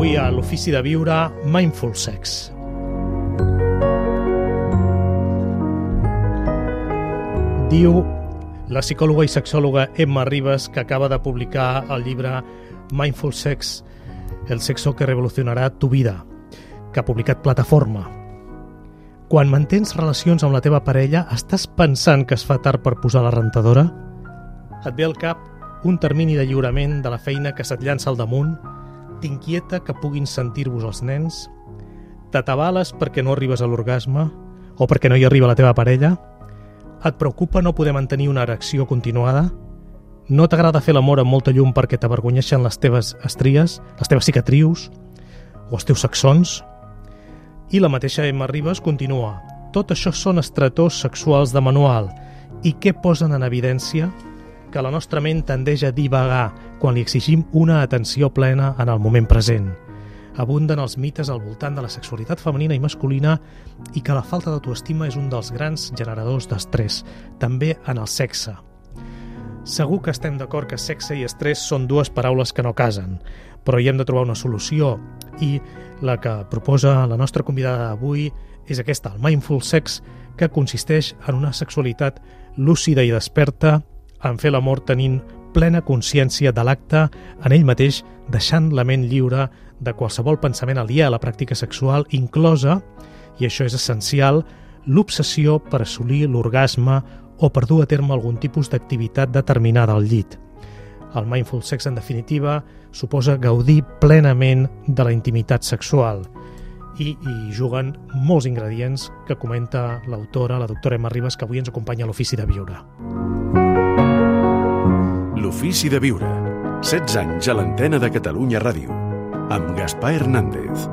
Avui a l'Ofici de Viure, Mindful Sex. Diu la psicòloga i sexòloga Emma Ribas, que acaba de publicar el llibre Mindful Sex, el sexo que revolucionarà tu vida, que ha publicat Plataforma. Quan mantens relacions amb la teva parella, estàs pensant que es fa tard per posar la rentadora? Et ve al cap un termini de lliurament de la feina que se't llança al damunt? T'inquieta que puguin sentir-vos els nens? T'atabales perquè no arribes a l'orgasme? O perquè no hi arriba la teva parella? Et preocupa no poder mantenir una erecció continuada? No t'agrada fer l'amor amb molta llum perquè t'avergonyeixen les teves estries, les teves cicatrius o els teus sacsons? I la mateixa Emma Ribas continua. Tot això són estretors sexuals de manual. I què posen en evidència? Que la nostra ment tendeix a divagar quan li exigim una atenció plena en el moment present. Abunden els mites al voltant de la sexualitat femenina i masculina i que la falta d'autoestima és un dels grans generadors d'estrès, també en el sexe. Segur que estem d'acord que sexe i estrès són dues paraules que no casen, però hi hem de trobar una solució i la que proposa la nostra convidada d'avui és aquesta, el Mindful Sex, que consisteix en una sexualitat lúcida i desperta, en fer l'amor tenint plena consciència de l'acte en ell mateix, deixant la ment lliure de qualsevol pensament aliè a la pràctica sexual, inclosa, i això és essencial, l'obsessió per assolir l'orgasme o per dur a terme algun tipus d'activitat determinada al llit. El Mindful Sex, en definitiva, suposa gaudir plenament de la intimitat sexual. I juguen molts ingredients que comenta l'autora, la doctora Emma Ribas, que avui ens acompanya a l'Ofici de Viure. L'Ofici de Viure. 16 anys a l'antena de Catalunya Ràdio. Amb Gaspar Hernández.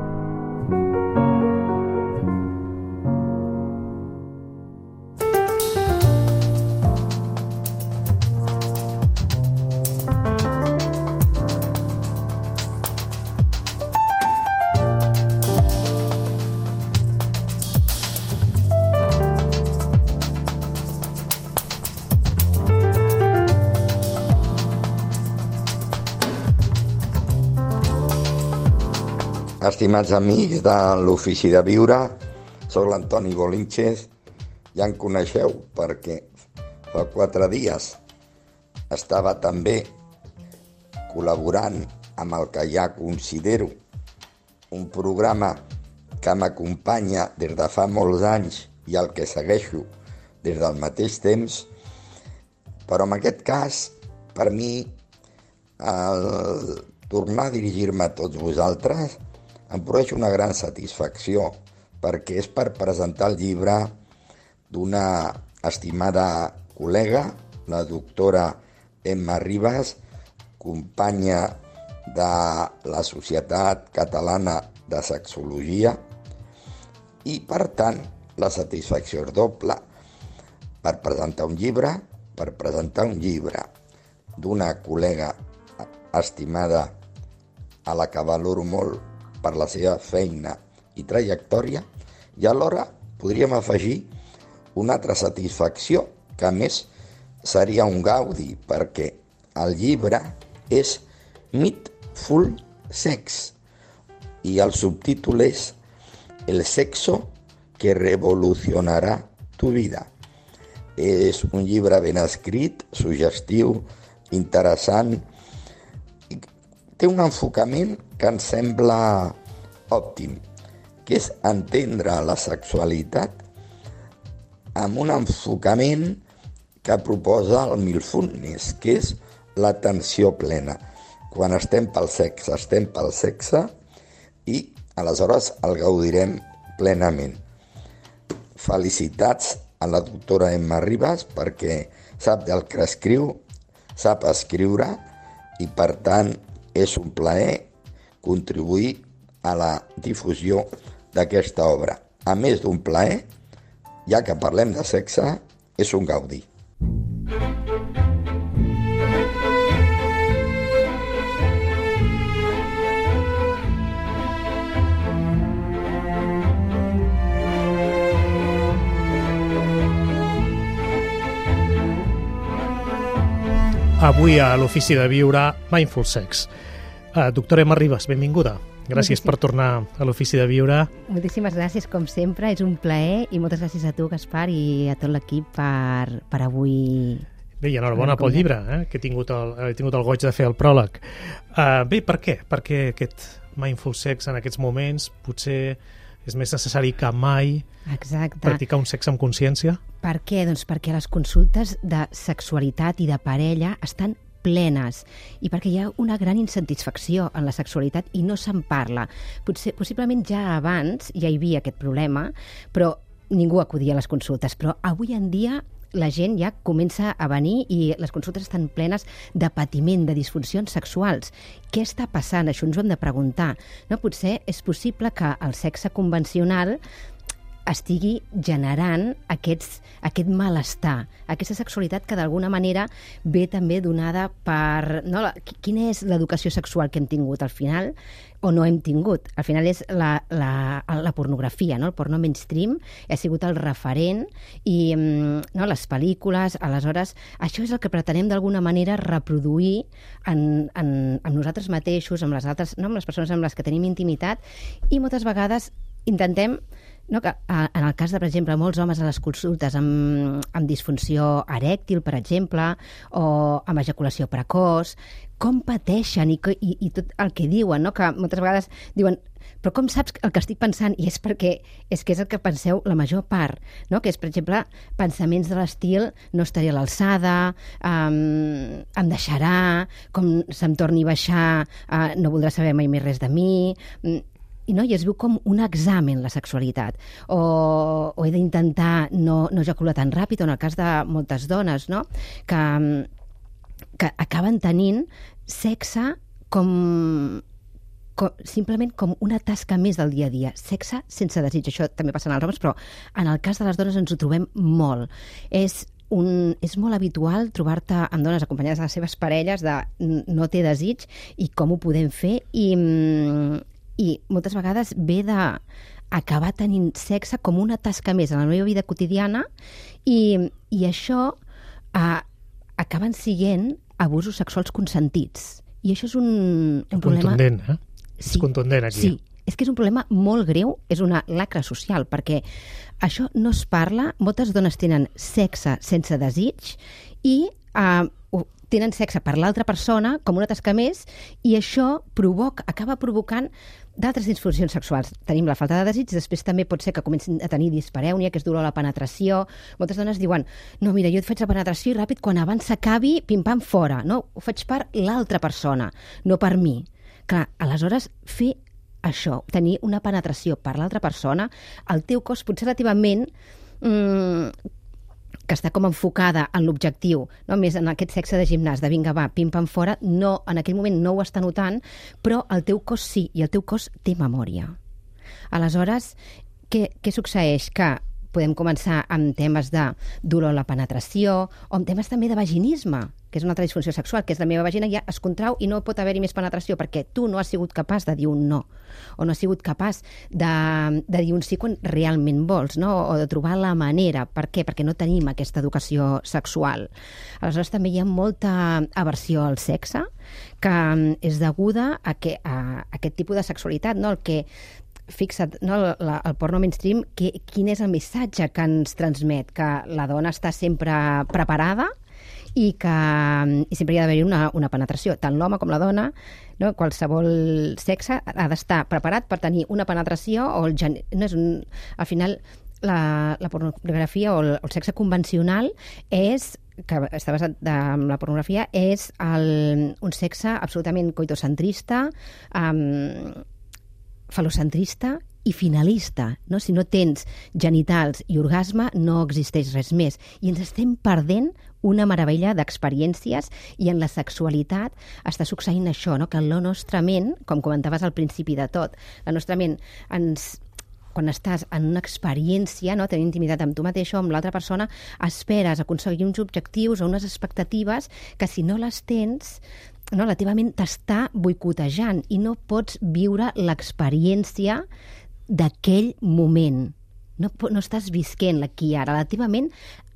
Estimats amics de l'Ofici de Viure, soc l'Antoni Bolínquez, ja em coneixeu perquè fa 4 dies estava també col·laborant amb el que ja considero un programa que m'acompanya des de fa molts anys i el que segueixo des del mateix temps, però en aquest cas, per mi, el tornar a dirigir-me a tots vosaltres em produeix una gran satisfacció, perquè és per presentar el llibre d'una estimada col·lega, la doctora Emma Ribas, companya de la Societat Catalana de Sexologia, i per tant la satisfacció és doble per presentar un llibre d'una col·lega estimada a la que valoro molt per la seva feina i trajectòria, i alhora podríem afegir una altra satisfacció, que a més seria un gaudi, perquè el llibre és Mindful Sex i el subtítol és El sexo que revolucionarà tu vida. És un llibre ben escrit, suggestiu, interessant. Té un enfocament que em sembla òptim, que és entendre la sexualitat amb un enfocament que proposa el Mindfulness, que és l'atenció plena. Quan estem pel sexe i aleshores el gaudirem plenament. Felicitats a la doctora Emma Ribas perquè sap del que escriu, sap escriure i per tant és un plaer contribuir a la difusió d'aquesta obra. A més d'un plaer, ja que parlem de sexe, és un gaudi. Avui a l'Ofici de Viure, Mindful Sex. Doctora Emma Ribas, benvinguda. Gràcies per tornar a l'Ofici de Viure. Moltíssimes gràcies, com sempre. És un plaer i moltes gràcies a tu, Gaspar, i a tot l'equip per avui. Bé, i enhorabona pel llibre, que he tingut el goig de fer el pròleg. Bé, per què? Perquè aquest Mindful Sex en aquests moments potser és més necessari que mai practicar un sexe amb consciència? Per què? Doncs perquè les consultes de sexualitat i de parella estan plenes i perquè hi ha una gran insatisfacció en la sexualitat i no se'n parla. Possiblement ja abans ja hi havia aquest problema, però ningú acudia a les consultes. Però avui en dia la gent ja comença a venir i les consultes estan plenes de patiment, de disfuncions sexuals. Què està passant? Això ens ho hem de preguntar. No? Potser és possible que el sexe convencional estigui generant aquest malestar, aquesta sexualitat que d'alguna manera ve també donada per... No, quina és l'educació sexual que hem tingut al final o no hem tingut? Al final és la pornografia, no? El porno mainstream ha sigut el referent i no, les pel·lícules, aleshores, això és el que pretenem d'alguna manera reproduir en nosaltres mateixos, amb les altres, no, amb les persones amb les que tenim intimitat, i moltes vegades intentem, no, que en el cas de, per exemple, molts homes a les consultes amb disfunció erèctil, per exemple, o amb ejaculació precoç, com pateixen i tot el que diuen, no? Que moltes vegades diuen, però com saps el que estic pensant? I és perquè és que és el que penseu la major part, no? Que és, per exemple, pensaments de l'estil no estaré a l'alçada, em deixarà, com se'm torni a baixar, no voldrà saber mai més res de mi... I es viu com un examen, la sexualitat. O he d'intentar no ejacular tan ràpid, o en el cas de moltes dones, no? que acaben tenint sexe simplement com una tasca més del dia a dia. Sexe sense desig. Això també passa en els homes, però en el cas de les dones ens ho trobem molt. És molt habitual trobar-te amb dones acompanyades de les seves parelles de no té desig i com ho podem fer i moltes vegades ve d'acabar tenint sexe com una tasca més en la meva vida quotidiana i això acaben sent abusos sexuals consentits. I això és un problema... Contundent, Sí, és contundent aquí. Sí, és que és un problema molt greu, és una lacra social, perquè això no es parla, moltes dones tenen sexe sense desig i tenen sexe per l'altra persona com una tasca més i això acaba provocant d'altres disfuncions sexuals. Tenim la falta de desig, després també pot ser que comencin a tenir disparèunia, que és dolor a la penetració. Moltes dones diuen, no, mira, jo et faig la penetració i ràpid, quan abans s'acabi, pim-pam, fora. No, ho faig per l'altra persona, no per mi. Clar, aleshores, fer això, tenir una penetració per l'altra persona, el teu cos potser relativament... que està com enfocada en l'objectiu, no? Més en aquest sexe de gimnàs, de vinga, va, pim-pam fora, no, en aquell moment no ho està notant, però el teu cos sí, i el teu cos té memòria. Aleshores, què succeeix? Que podem començar amb temes de dolor a la penetració o amb temes també de vaginisme, que és una altra disfunció sexual, que és la meva vagina ja es contrau i no pot haver-hi més penetració perquè tu no has sigut capaç de dir un no o no has sigut capaç de dir un sí quan realment vols, no? O de trobar la manera. Per què? Perquè no tenim aquesta educació sexual. Aleshores també hi ha molta aversió al sexe que és deguda a aquest tipus de sexualitat, no? El que fixa't, no, el porno mainstream, quin és el missatge que ens transmet? Que la dona està sempre preparada i sempre hi ha d'haver-hi una penetració. Tant l'home com la dona, no, qualsevol sexe ha d'estar preparat per tenir una penetració o al final la pornografia o el sexe convencional que està basat en la pornografia és un sexe absolutament coitocentrista, falocentrista i finalista, no? Si no tens genitals i orgasme, no existeix res més. I ens estem perdent una meravella d'experiències i en la sexualitat està succeint això, no? Que la nostra ment, com comentaves al principi de tot, la nostra ment quan estàs en una experiència, no, tenint intimitat amb tu mateix o amb l'altra persona, esperes aconseguir uns objectius o unes expectatives que si no les tens, no, la teva ment t'està boicotejant i no pots viure l'experiència d'aquell moment. No estàs visquent l'aquí i ara. La teva ment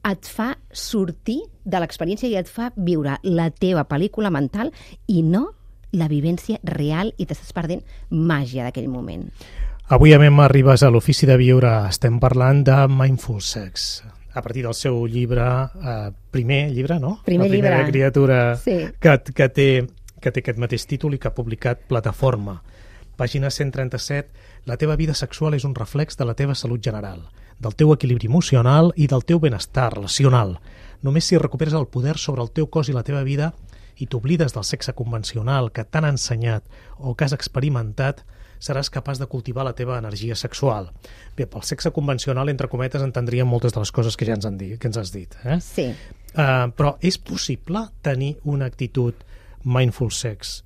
et fa sortir de l'experiència i et fa viure la teva pel·lícula mental i no la vivència real i t'estàs perdent màgia d'aquell moment. Avui a Emma Ribas a l'Ofici de Viure estem parlant de Mindful Sex, a partir del seu llibre, primer llibre, no? Primer llibre. La primera criatura sí. que té aquest mateix títol i que ha publicat Plataforma. Pàgina 137, la teva vida sexual és un reflex de la teva salut general, del teu equilibri emocional i del teu benestar relacional. Només si recuperes el poder sobre el teu cos i la teva vida i t'oblides del sexe convencional que t'han ensenyat o que has experimentat, seràs capaç de cultivar la teva energia sexual. Bé, pel sexe convencional, entre cometes, entendríem moltes de les coses que ja ens has dit. Sí. Però és possible tenir una actitud mindful sex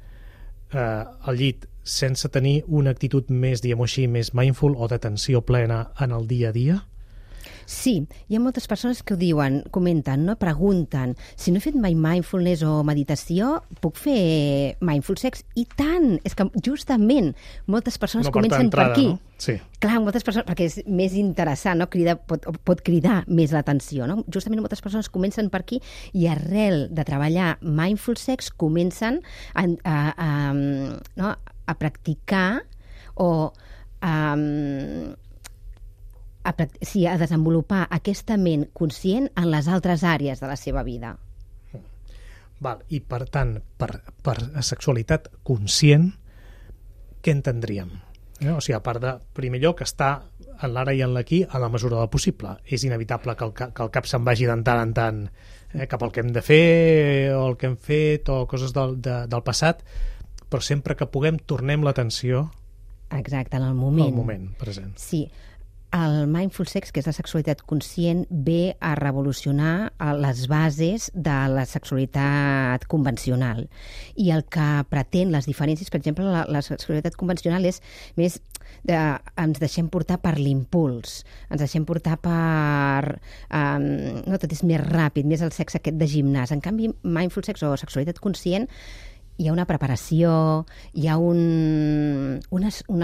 al llit sense tenir una actitud més, diguem-ho així, més mindful o d'atenció plena en el dia a dia? Sí, hi ha moltes persones que ho diuen, comenten, no? Pregunten, si no he fet mai mindfulness o meditació, puc fer mindful sex? I tant! És que justament moltes persones comencen per aquí. No? Sí. Clar, moltes persones, perquè és més interessant, no? Pot cridar més l'atenció, no? Justament moltes persones comencen per aquí i arrel de treballar mindful sex comencen a practicar o a desenvolupar aquesta ment conscient en les altres àrees de la seva vida. Val. I, per tant, per sexualitat conscient, què entendríem? O sigui, a part de, primer lloc, estar en l'ara i en l'aquí a la mesura del possible. És inevitable que el cap se'n vagi de tant en tant cap al que hem de fer o el que hem fet o coses del passat, però sempre que puguem tornem l'atenció exacte, en el moment. Al moment present. Sí. El mindful sex, que és la sexualitat conscient, ve a revolucionar les bases de la sexualitat convencional. I el que pretén les diferències, per exemple, la sexualitat convencional és més ens deixem portar per l'impuls, ens deixem portar per... no, tot és més ràpid, més el sexe aquest de gimnàs. En canvi, mindful sex o sexualitat conscient hi ha una preparació, hi ha un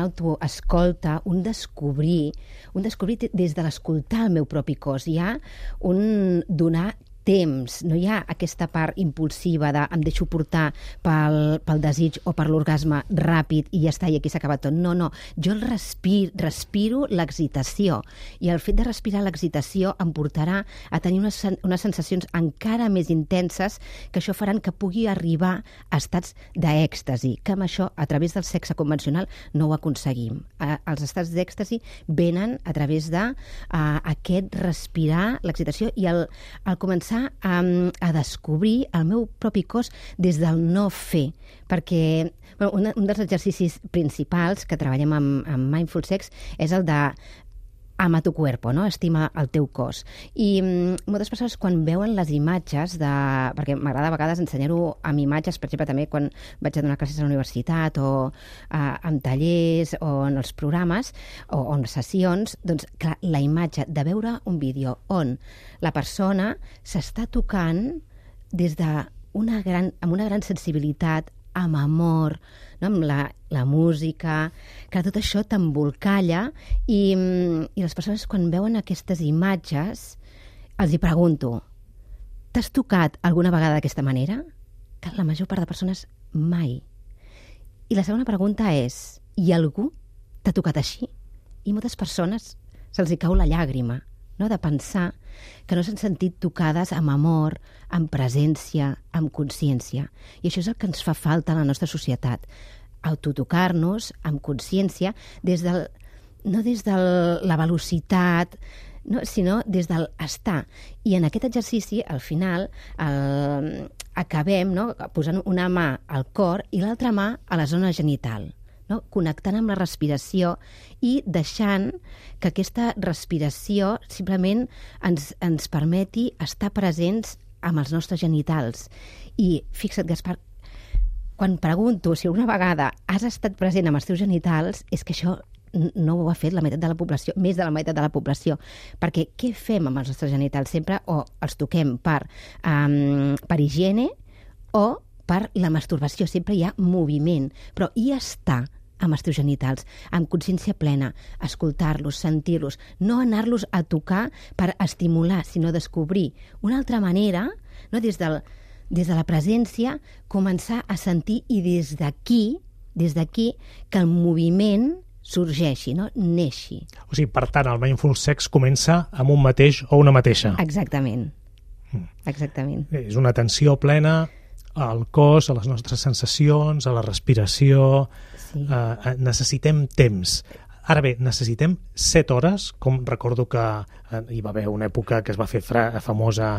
autoescolta, un descobrir des de l'escoltar el meu propi cos. Hi ha un donar temps, no hi ha aquesta part impulsiva de em deixo portar pel desig o per l'orgasme ràpid i ja està, i aquí s'ha acabat tot. No, jo respiro l'excitació, i el fet de respirar l'excitació em portarà a tenir unes sensacions encara més intenses, que això faran que pugui arribar a estats d'èxtasi, que amb això, a través del sexe convencional, no ho aconseguim. Els estats d'èxtasi venen a través d'aquest respirar l'excitació i el començar a descobrir el meu propi cos des del no fer, perquè un dels exercicis principals que treballem amb Mindful Sex és el de ama tu cuerpo, no? Estima el teu cos. I moltes persones, quan veuen les imatges perquè m'agrada a vegades ensenyar-ho amb imatges, per exemple, també quan vaig a donar classes a la universitat o en tallers o en els programes o en sessions, doncs, clar, la imatge de veure un vídeo on la persona s'està tocant amb una gran sensibilitat, amb amor, no? Amb la música, que tot això t'embolcalla, i les persones, quan veuen aquestes imatges, els hi pregunto, t'has tocat alguna vegada d'aquesta manera? Que la major part de persones mai. I la segona pregunta és, i algú t'ha tocat així? I moltes persones se'ls hi cau la llàgrima, no? De pensar que no s'han sentit tocades amb amor, amb presència, amb consciència. I això és el que ens fa falta a la nostra societat. Autotocar-nos amb consciència, no des de la velocitat, no, sinó des del estar. I en aquest exercici, al final, acabem, no, posant una mà al cor i l'altra mà a la zona genital, no? Connectant amb la respiració i deixant que aquesta respiració simplement ens permeti estar presents amb els nostres genitals. I fixa't, Gaspar, quan pregunto si alguna vegada has estat present amb els teus genitals, és que això no ho ha fet la meitat de la població, més de la meitat de la població. Perquè què fem amb els nostres genitals? Sempre o els toquem per higiene o per la masturbació. Sempre hi ha moviment. Però i estar amb els teus genitals, amb consciència plena, escoltar-los, sentir-los, no anar-los a tocar per estimular, sinó descobrir una altra manera, no, des del des de la presència, començar a sentir i des d'aquí que el moviment sorgeixi, no? Neixi. O sigui, per tant, el Mindful Sex comença amb un mateix o una mateixa. Exactament. Exactament. És una atenció plena al cos, a les nostres sensacions, a la respiració. Sí. Necessitem temps. Ara bé, necessitem 7 hores, com recordo que hi va haver una època que es va fer famosa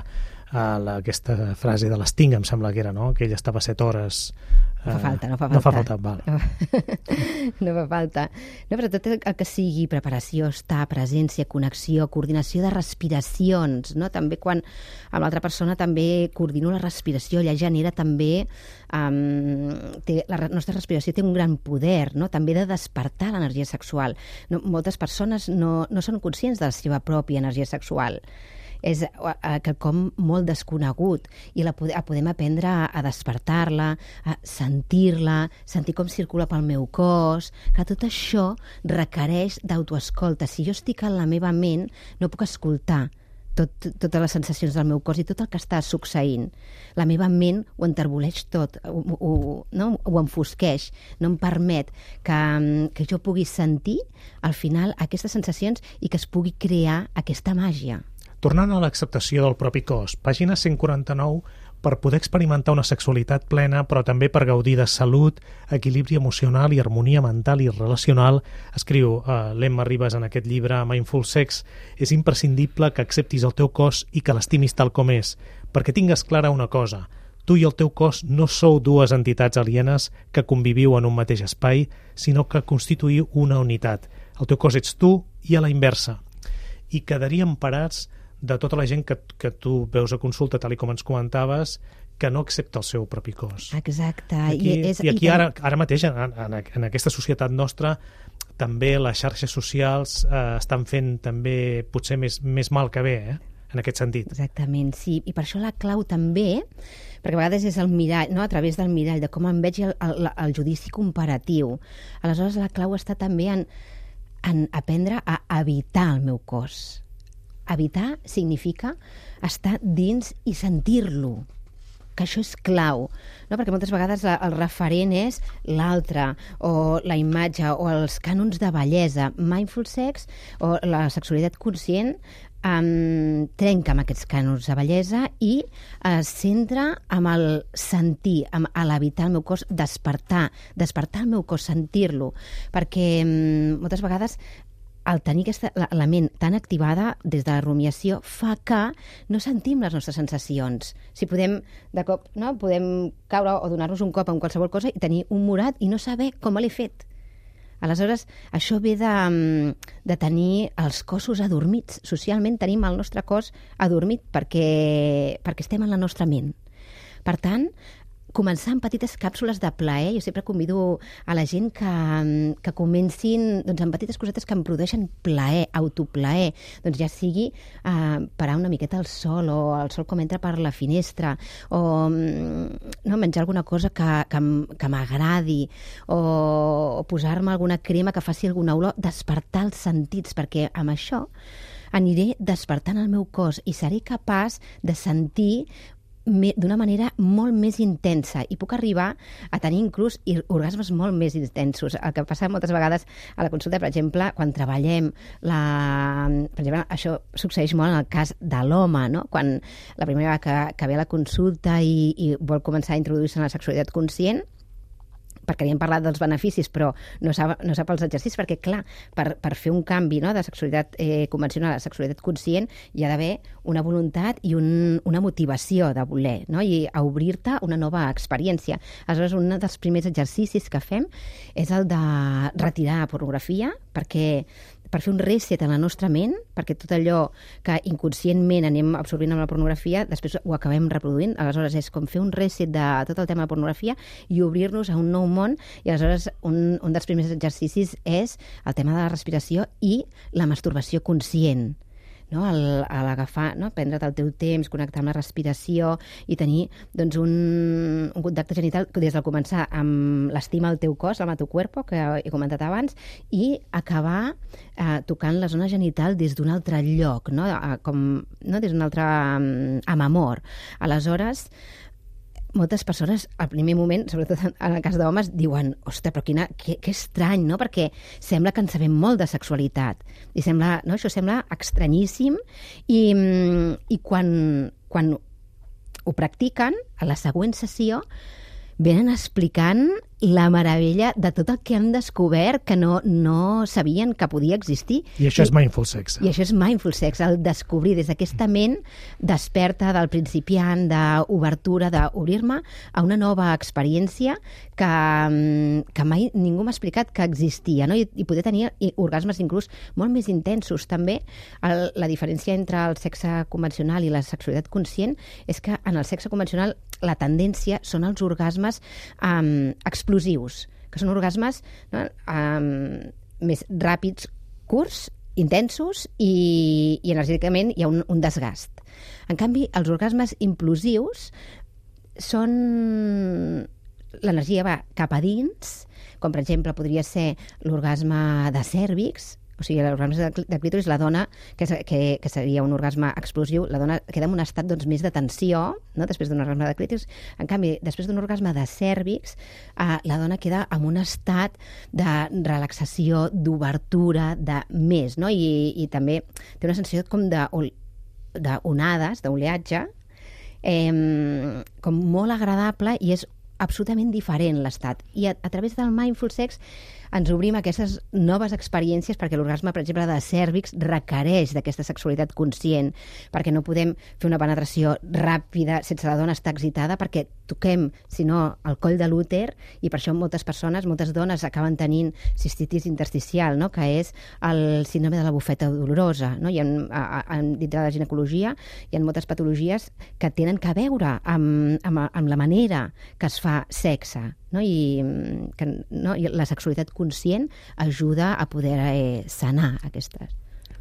aquesta frase de l'Sting, em sembla que era, no? Que ell estava 7 hores... No fa falta. No fa falta, val. No fa falta. No, però tot el que sigui preparació, estar, presència, connexió, coordinació de respiracions, no? També quan amb l'altra persona també coordino la respiració, ja genera també... la nostra respiració té un gran poder, no? També de despertar l'energia sexual. No, moltes persones no són conscients de la seva pròpia energia sexual. És quelcom molt desconegut i podem aprendre a despertar-la, a sentir-la, sentir com circula pel meu cos, que tot això requereix d'autoescolta. Si jo estic en la meva ment, no puc escoltar totes les sensacions del meu cos i tot el que està succeint. La meva ment ho enterboleix tot, ho enfosqueix, no em permet que jo pugui sentir al final aquestes sensacions i que es pugui crear aquesta màgia. Tornant a l'acceptació del propi cos, pàgina 149, per poder experimentar una sexualitat plena, però també per gaudir de salut, equilibri emocional i harmonia mental i relacional, escriu l'Emma Ribas en aquest llibre Mindful Sex, és imprescindible que acceptis el teu cos i que l'estimis tal com és, perquè tingues clara una cosa: tu i el teu cos no sou dues entitats alienes que conviviu en un mateix espai, sinó que constituïu una unitat. El teu cos ets tu i a la inversa. I quedaríem parats de tota la gent que tu veus a consulta, tal com ens comentaves, que no accepta el seu propi cos. Exacte. I aquí ara mateix, en aquesta societat nostra, també les xarxes socials estan fent també potser més mal que bé, en aquest sentit. Exactament, sí. I per això la clau també, perquè a vegades és el mirall, no? A través del mirall, de com em veig el judici comparatiu. Aleshores, la clau està també en aprendre a habitar el meu cos. Habitar significa estar dins i sentir-lo, que això és clau, no? Perquè moltes vegades el referent és l'altre, o la imatge, o els cànons de bellesa. Mindful Sex, o la sexualitat conscient, trenca amb aquests cànons de bellesa i es centra amb el sentir, amb l'habitar el meu cos, despertar el meu cos, sentir-lo, perquè moltes vegades el tenir la ment tan activada des de la rumiació fa que no sentim les nostres sensacions. Si podem, de cop, no? Podem caure o donar-nos un cop en qualsevol cosa i tenir un morat i no saber com l'he fet. Aleshores, això ve de tenir els cossos adormits. Socialment tenim el nostre cos adormit perquè estem en la nostra ment. Per tant, començar amb petites càpsules de plaer. Jo sempre convido a la gent que comencin amb petites cosetes que em produeixen plaer, autoplaer. Doncs ja sigui parar una miqueta al sol, o el sol com entra per la finestra, o menjar alguna cosa que m'agradi, o posar-me alguna crema que faci alguna olor, despertar els sentits, perquè amb això aniré despertant el meu cos i seré capaç de sentir d'una manera molt més intensa i puc arribar a tenir inclús orgasmes molt més intensos. El que passa moltes vegades a la consulta, per exemple, quan treballem per exemple, això succeeix molt en el cas de l'home, no? Quan la primera vegada que ve a la consulta i vol començar a introduir-se en la sexualitat conscient, perquè havíem parlat dels beneficis, però no sap els exercicis, perquè, clar, per fer un canvi, no, de sexualitat convencional a sexualitat conscient hi ha d'haver una voluntat i una motivació de voler, no? I a obrir-te una nova experiència. Aleshores, un dels primers exercicis que fem és el de retirar pornografia, per fer un reset en la nostra ment, perquè tot allò que inconscientment anem absorbint amb la pornografia, després ho acabem reproduint. Aleshores, és com fer un reset de tot el tema de pornografia i obrir-nos a un nou món. I aleshores, un dels primers exercicis és el tema de la respiració i la masturbació conscient. No? A l'agafar, no? Prendre't el teu temps, connectar amb la respiració i tenir doncs, un contacte genital des del començar amb l'estima al teu cos, amb el teu cuerpo, que he comentat abans, i acabar tocant la zona genital des d'un altre lloc, no? Des d'un altre amb amor. Aleshores, moltes persones, al primer moment, sobretot en el cas d'homes, diuen, ostres, però que estrany, no? Perquè sembla que en sabem molt de sexualitat. I sembla, no? Això sembla estranyíssim. I quan ho practiquen, a la següent sessió, venen explicant la meravella de tot el que han descobert que no sabien que podia existir. I això és mindful sex. I això és mindful sex, el descobrir des d'aquesta ment desperta del principiant, d'obertura, d'obrir-me a una nova experiència que mai ningú m'ha explicat que existia, no? I poder tenir orgasmes inclús molt més intensos. També la diferència entre el sexe convencional i la sexualitat conscient és que en el sexe convencional la tendència són els orgasmes explosius, que són orgasmes, no, més ràpids, curts, intensos i energèticament hi ha un desgast. En canvi, els orgasmes implosius són... L'energia va cap a dins, com per exemple podria ser l'orgasme de cèrvix, o sigui, l'orgasme de clítoris, la dona, que seria un orgasme explosiu, la dona queda en un estat doncs, més de tensió, no? Després d'un orgasme de clítoris. En canvi, després d'un orgasme de cèrvix, la dona queda en un estat de relaxació, d'obertura, de més, no? I també té una sensació com d'onades, d'oleatge, com molt agradable, i és absolutament diferent l'estat. I a través del mindful sex ens obrim aquestes noves experiències, perquè l'orgasme, per exemple, de cèrvix requereix d'aquesta sexualitat conscient, perquè no podem fer una penetració ràpida sense la dona estar excitada, perquè toquem, si no, el coll de l'úter, i per això moltes persones, moltes dones acaben tenint cistitis intersticial, no? Que és el síndrome de la bufeta dolorosa. No? Dintre de la ginecologia hi ha moltes patologies que tenen a veure amb la manera que es fa sexe, no? I la sexualitat conscient ajuda a poder sanar aquestes.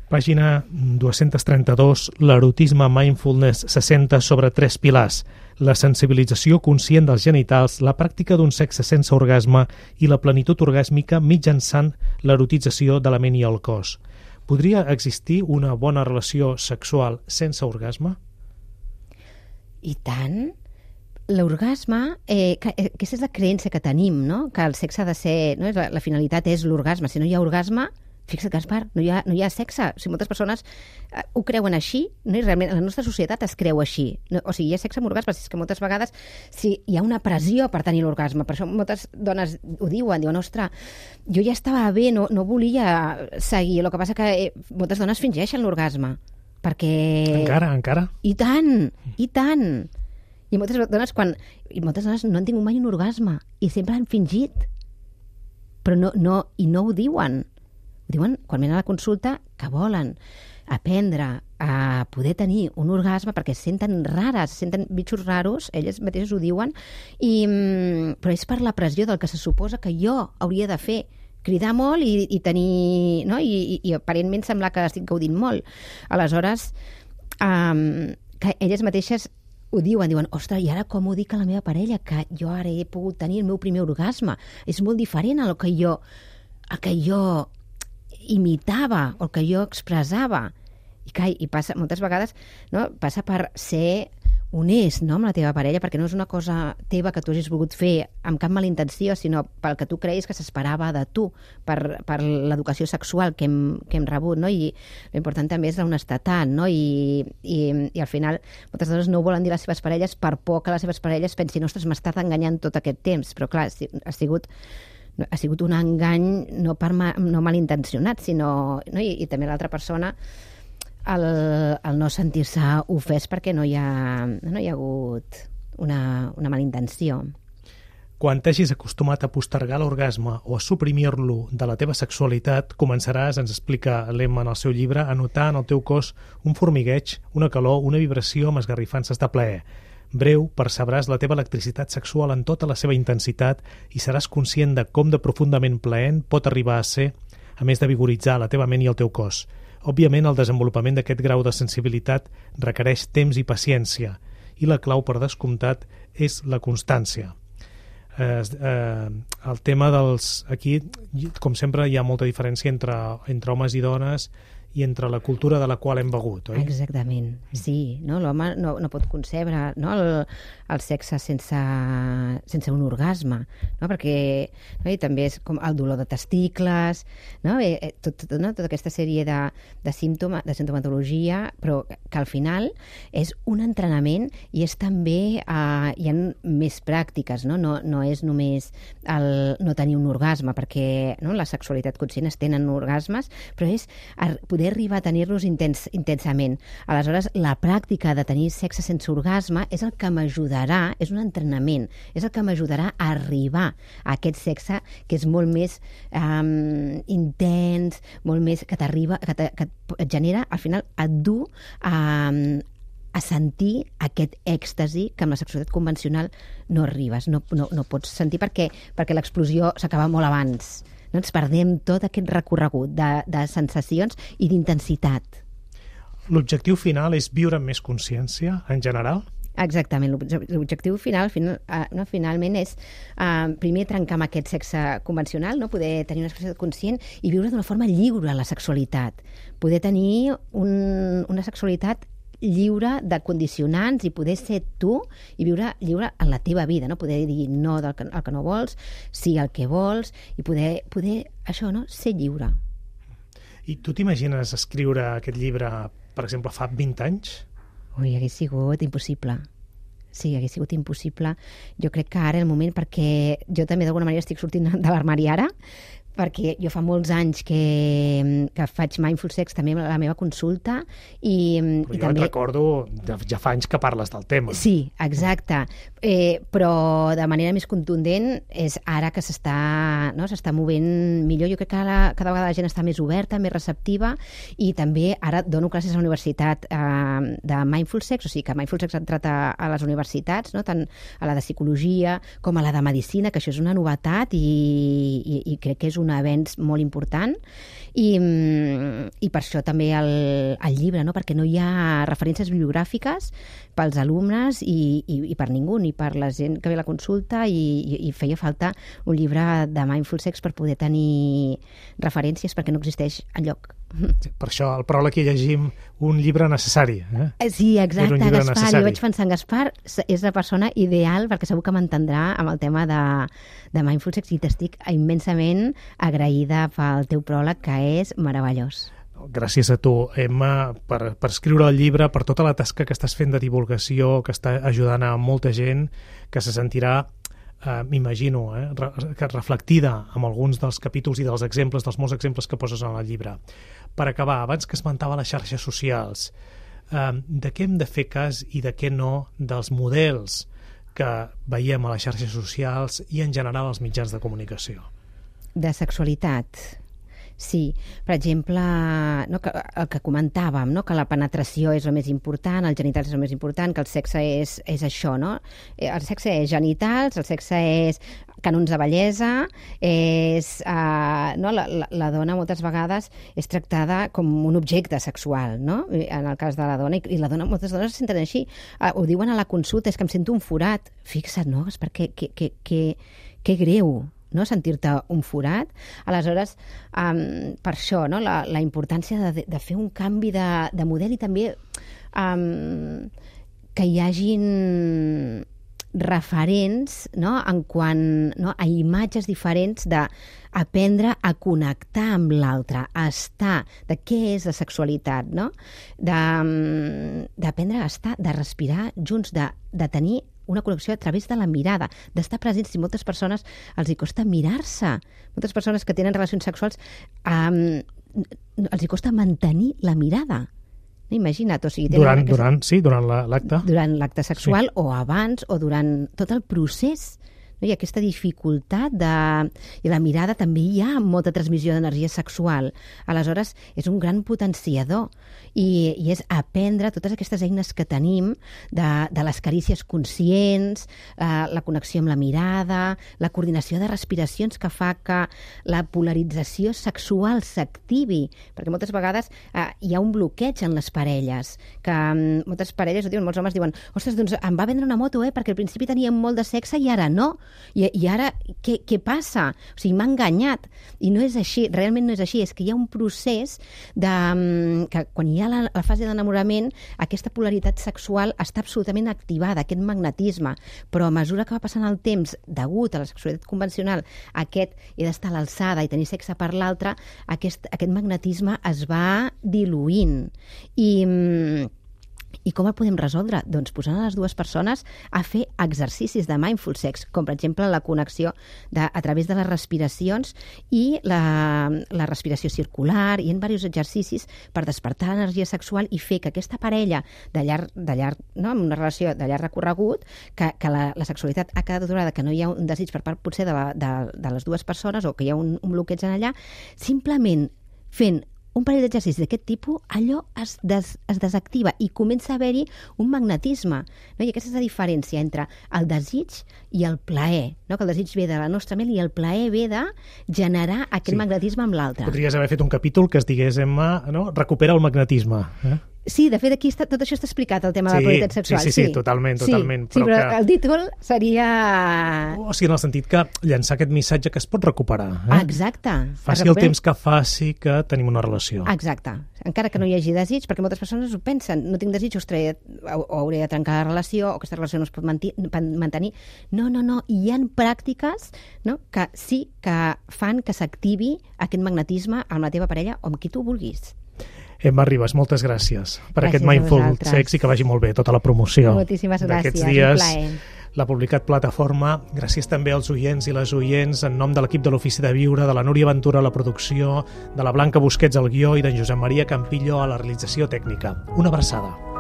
Pàgina 232. L'erotisme mindfulness se senta sobre 3 pilars: la sensibilització conscient dels genitals, la pràctica d'un sexe sense orgasme i la plenitud orgàsmica mitjançant l'erotització de la ment i el cos. Podria existir una bona relació sexual sense orgasme? I tant. L'orgasme, aquesta és la creença que tenim, no? Que el sexe ha de ser... No? La finalitat és l'orgasme. Si no hi ha orgasme, fixa't, Gaspar, no hi ha sexe. O sigui, moltes persones ho creuen així, no? I realment la nostra societat es creu així. No? O sigui, hi ha sexe amb orgasme, és que moltes vegades hi ha una pressió per tenir l'orgasme. Per això moltes dones ho diuen, ostres, jo ja estava bé, no volia seguir. El que passa que moltes dones fingeixen l'orgasme. Perquè... Encara? I tant! I moltes dones no han tingut mai un orgasme i sempre han fingit, però no ho diuen. Ho diuen quan venen a la consulta que volen aprendre a poder tenir un orgasme perquè es senten rares, se senten bitxos raros, elles mateixes ho diuen, però és per la pressió del que se suposa que jo hauria de fer, cridar molt i tenir... No? I aparentment semblar que estic gaudint molt. Aleshores, que elles mateixes ho diuen, ostres, i ara com ho dic a la meva parella, que jo ara he pogut tenir el meu primer orgasme? És molt diferent al que jo imitava o el que jo expressava. I passa, moltes vegades, no? Passa per ser honest, no? Amb la teva parella, perquè no és una cosa teva que tu hagis volgut fer amb cap mala intenció, sinó pel que tu creies que s'esperava de tu, per l'educació sexual que hem rebut, no? I l'important també és l'honestedat, no? I al final moltes dones no ho volen dir a les seves parelles per por que les seves parelles pensin, ostres, m'ha estat enganyant tot aquest temps, però clar, ha sigut un engany no malintencionat, sinó... No? I també l'altra persona el no sentir-se ofès perquè no hi ha hagut una mala intenció. Quan t'hagis acostumat a postergar l'orgasme o a suprimir-lo de la teva sexualitat, començaràs, ens explica l'Emma en el seu llibre, a notar en el teu cos un formigueig, una calor, una vibració amb esgarrifances de plaer. Breu, percebràs la teva electricitat sexual en tota la seva intensitat i seràs conscient de com de profundament plaent pot arribar a ser, a més de vigoritzar la teva ment i el teu cos. Òbviament, el desenvolupament d'aquest grau de sensibilitat requereix temps i paciència, i la clau, per descomptat, és la constància. El tema dels... Aquí, com sempre, hi ha molta diferència entre homes i dones, i entre la cultura de la qual hem begut, oi? Exactament, sí. No? L'home no pot concebre, no? el sexe sense un orgasme, no? Perquè i també és com el dolor de testicles, no? Tota aquesta sèrie de simptomatologia, però que al final és un entrenament i és també, hi ha més pràctiques, no? No és només no tenir un orgasme, perquè la sexualitat conscient es tenen orgasmes, però és poder arribar a tenir-los intensament. Aleshores, la pràctica de tenir sexe sense orgasme és el que m'ajudarà, és un entrenament, és el que m'ajudarà a arribar a aquest sexe que és molt més intens, molt més que t'arriba, que et genera, al final et du a sentir aquest èxtasi que amb la sexualitat convencional no arribes, no pots sentir perquè l'explosió s'acaba molt abans. No ens perdem tot aquest recorregut de sensacions i d'intensitat. L'objectiu final és viure amb més consciència, en general? Exactament. L'objectiu finalment és primer trencar amb aquest sexe convencional, no? Poder tenir una sexualitat conscient i viure d'una forma lliure la sexualitat. Poder tenir una sexualitat lliure de condicionants i poder ser tu i viure lliure en la teva vida, no? Poder dir no al que no vols, sí al que vols i poder això, no? Ser lliure. I tu t'imagines escriure aquest llibre, per exemple, fa 20 anys? Ui, hagués sigut impossible. Sí, hagués sigut impossible. Jo crec que ara el moment, perquè jo també d'alguna manera estic sortint de l'armari ara, perquè jo fa molts anys que faig Mindful Sex també a la meva consulta i jo també... et recordo, ja fa anys que parles del tema. Sí, exacte. Però de manera més contundent és ara que s'està movent millor. Jo crec que cada vegada la gent està més oberta, més receptiva i també ara dono classes a la universitat de Mindful Sex, o sigui que Mindful Sex ha entrat a les universitats, no? Tant a la de psicologia com a la de medicina, que això és una novetat i crec que és un avenç molt important i per això també el llibre, no? Perquè no hi ha referències bibliogràfiques pels alumnes i per ningú, ni per la gent que ve a la consulta i feia falta un llibre de Mindful Sex per poder tenir referències perquè no existeix enlloc. Sí, per això, el pròleg que llegim, un llibre necessari. Sí, exacte, Gaspar. Necessari. Jo vaig pensar en Gaspar, és la persona ideal perquè segur que m'entendrà amb el tema de Mindful Sex i t'estic immensament agraïda pel teu pròleg, que és meravellós. Gràcies a tu, Emma, per escriure el llibre, per tota la tasca que estàs fent de divulgació, que està ajudant a molta gent, que se sentirà m'imagino, que reflectida amb alguns dels capítols i dels exemples, dels molts exemples que poses en el llibre. Per acabar, abans que esmentava les xarxes socials, de què hem de fer cas i de què no dels models que veiem a les xarxes socials i en general als mitjans de comunicació? De sexualitat. Sí, per exemple, no, el que comentàvem, no, que la penetració és el més important, els genitals és el més important, que el sexe és això, no? El sexe és genitals, el sexe és cànons de bellesa, no, la dona moltes vegades és tractada com un objecte sexual, no? En el cas de la dona, i la dona, moltes dones se senten així, ho diuen a la consulta, és que em sento un forat. Fixa't, no? És perquè que greu, no? Sentir-te un forat. Aleshores, per això, no? La importància de fer un canvi de model i també que hi hagin referents, no? En quant, no? A imatges diferents d'aprendre a connectar amb l'altre, a estar, de què és la sexualitat, no? D'aprendre a estar, de respirar junts, de tenir una connexió a través de la mirada, d'estar presents. Si moltes persones els hi costa mirar-se, moltes persones que tenen relacions sexuals els hi costa mantenir la mirada. Imagina't, o sigui... Durant l'acte. Durant l'acte sexual, sí. O abans, o durant tot el procés. No? I aquesta dificultat i la mirada també hi ha molta transmissió d'energia sexual. Aleshores, és un gran potenciador i és aprendre totes aquestes eines que tenim de les carícies conscients, la connexió amb la mirada, la coordinació de respiracions que fa que la polarització sexual s'activi, perquè moltes vegades hi ha un bloqueig en les parelles, que moltes parelles ho diuen, molts homes diuen, ostres, doncs em va vendre una moto, perquè al principi teníem molt de sexe i ara no. I ara què passa? O sigui, m'ha enganyat. I no és així, realment no és així. És que hi ha un procés que quan hi ha la fase d'enamorament, aquesta polaritat sexual està absolutament activada, aquest magnetisme. Però a mesura que va passant el temps, degut a la sexualitat convencional, aquest he d'estar a l'alçada i tenir sexe per l'altre, aquest magnetisme es va diluint. I com el podem resoldre? Doncs posant a les dues persones a fer exercicis de mindful sex, com per exemple la connexió a través de les respiracions i la respiració circular, i en diversos exercicis per despertar l'energia sexual i fer que aquesta parella de llarg, no, amb una relació de llarg recorregut, que la sexualitat ha quedat aturada, que no hi ha un desig per part potser de les dues persones o que hi ha un bloqueig en allà, simplement fent un parell d'exercicis d'aquest tipus, allò es desactiva i comença a haver-hi un magnetisme. No? I aquesta és la diferència entre el desig i el plaer. No? Que el desig ve de la nostra ment i el plaer ve de generar aquest magnetisme amb l'altre. Podries haver fet un capítol que es digués, Emma, no? Recupera el magnetisme. Sí, de fet, aquí tot això està explicat, el tema de la polaritat sexual. Sí, totalment. Sí, però el títol seria... O sigui, en el sentit que llançar aquest missatge que es pot recuperar. Exacte. Faci el temps que faci que tenim una relació. Exacte. Encara que no hi hagi desig, perquè moltes persones ho pensen, no tinc desig, o hauré de trencar la relació, o aquesta relació no es pot mantenir. No. Hi ha pràctiques, no?, que sí que fan que s'activi aquest magnetisme amb la teva parella o amb qui tu vulguis. Emma Ribas, moltes gràcies per aquest Mindful Sex i que vagi molt bé tota la promoció. Moltíssimes gràcies, d'aquests dies. un plaer. L'ha publicat Plataforma. Gràcies també als oients i les oients en nom de l'equip de l'Ofici de Viure, de la Núria Ventura a la producció, de la Blanca Busquets al guió i d'en Josep Maria Campillo a la realització tècnica. Una abraçada.